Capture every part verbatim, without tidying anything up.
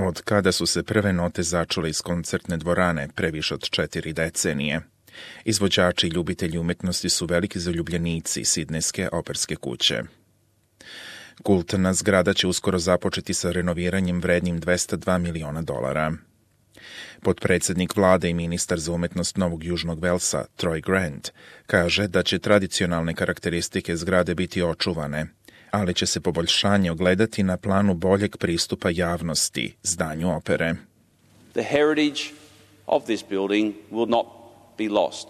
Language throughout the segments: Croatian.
Od kada su se prve note začule iz koncertne dvorane pre više od četiri decenije, izvođači i ljubitelji umetnosti su veliki zaljubljenici Sidnejske operske kuće. Kultna zgrada će uskoro započeti sa renoviranjem vrednim dvesta dva miliona dolara. Potpredsednik vlade i ministar za umetnost Novog Južnog Velsa, Troy Grant, kaže da će tradicionalne karakteristike zgrade biti očuvane, ali će se poboljšanje ogledati na planu boljeg pristupa javnosti zdanju opere. The heritage of this building will not be lost.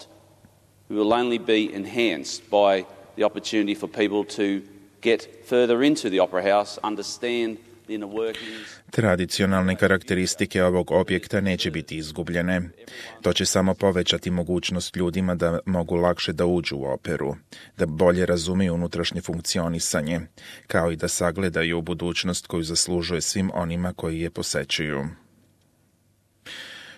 It will only be enhanced by the opportunity for people to get further into the Opera House, understand the inner workings. Tradicionalne karakteristike ovog objekta neće biti izgubljene. To će samo povećati mogućnost ljudima da mogu lakše da uđu u operu, da bolje razumiju unutrašnje funkcionisanje, kao i da sagledaju budućnost koju zaslužuje svim onima koji je posećuju.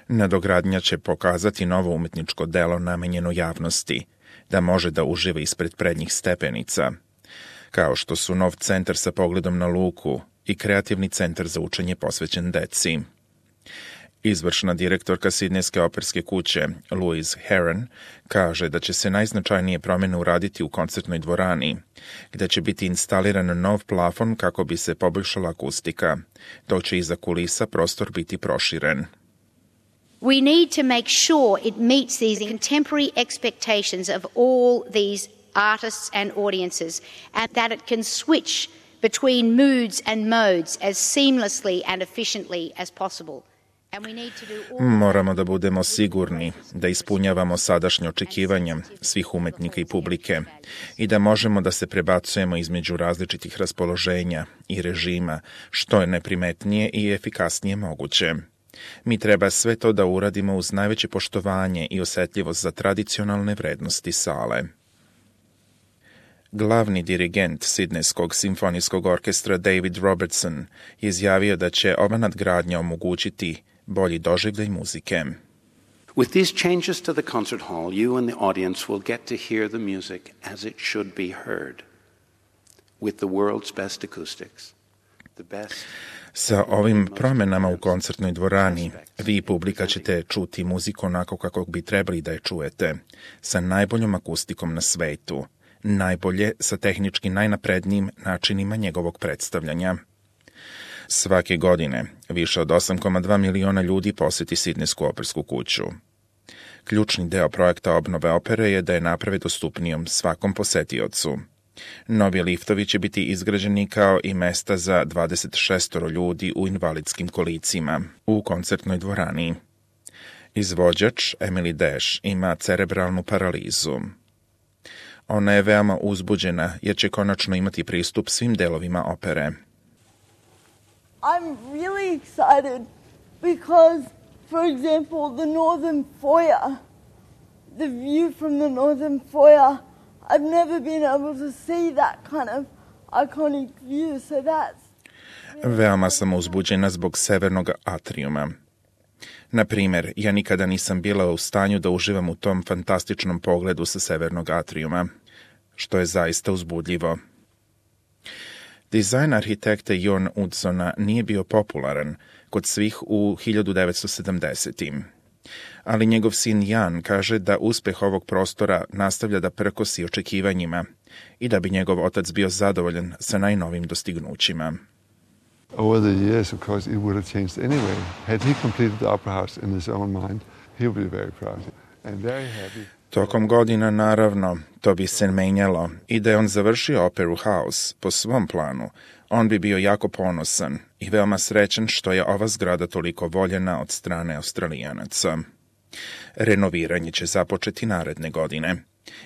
Nadogradnja će pokazati novo umetničko delo namenjeno javnosti, da može da uživa ispred prednjih stepenica, kao što su nov centar sa pogledom na luku i kreativni centar za učenje posvećen deci. Izvršna direktorka Sidnejske operske kuće, Louise Heron, kaže da će se najznačajnije promjene uraditi u koncertnoj dvorani, gde će biti instaliran nov plafon kako bi se poboljšala akustika, dok će iza kulisa prostor biti proširen. We need to make sure it meets these contemporary expectations of all these artists and audiences, and that it can switch between moods and modes as seamlessly and efficiently as possible. And we need to do all... Moramo da budemo sigurni da ispunjavamo sadašnje očekivanja svih umetnika i publike i da možemo da se prebacujemo između različitih raspoloženja i režima, što je neprimetnije i efikasnije moguće. Mi treba sve to da uradimo uz najveće poštovanje i osjetljivost za tradicionalne vrednosti sale. Glavni dirigent Sidnejskog simfonijskog orkestra David Robertson je izjavio da će ova nadgradnja omogućiti bolji doživljaj muzike. With these changes to the concert hall, you and the audience will get to hear the music as it should be heard, with the world's best acoustics, the best... Sa ovim promjenama u koncertnoj dvorani, vi i publika ćete čuti muziku onako kako bi trebali da je čujete, sa najboljom akustikom na svetu, najbolje sa tehnički najnaprednijim načinima njegovog predstavljanja. Svake godine više od osam zarez dva miliona ljudi poseti Sidnejsku opersku kuću. Ključni deo projekta obnove opere je da je naprave dostupnijom svakom posetiocu. Novi liftovi će biti izgrađeni kao i mesta za dvadeset šest ljudi u invalidskim kolicima u koncertnoj dvorani. Izvođač Emily Dash ima cerebralnu paralizu. Ona je veoma uzbuđena jer će konačno imati pristup svim delovima opere. I'm really excited because, for example, the northern foyer, the view from the northern foyer, I've never been able to see that kind of iconic view, so that's... Veoma sam uzbuđena zbog severnog atrijuma. Na primjer, ja nikada nisam bila u stanju da uživam u tom fantastičnom pogledu sa severnog atrijuma, što je zaista uzbudljivo. Dizajn arhitekta Jon Utzona nije bio popularan kod svih u hiljadu devetsto sedamdesetim. Ali njegov sin Jan kaže da uspeh ovog prostora nastavlja da prkosi očekivanjima i da bi njegov otac bio zadovoljan sa najnovim dostignućima. Over the years, of course, it would have changed anyway. Had he completed the Opera House in his own mind, he would be very proud and very happy. Tokom godina, naravno, to bi se menjalo i da je on završio Opera House po svom planu, on bi bio jako ponosan i veoma srećan što je ova zgrada toliko voljena od strane Australijanaca. Renoviranje će započeti naredne godine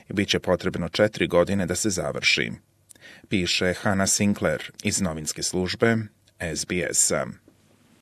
i bit će potrebno četiri godine da se završi, piše Hannah Sinclair iz novinske službe S B S-a.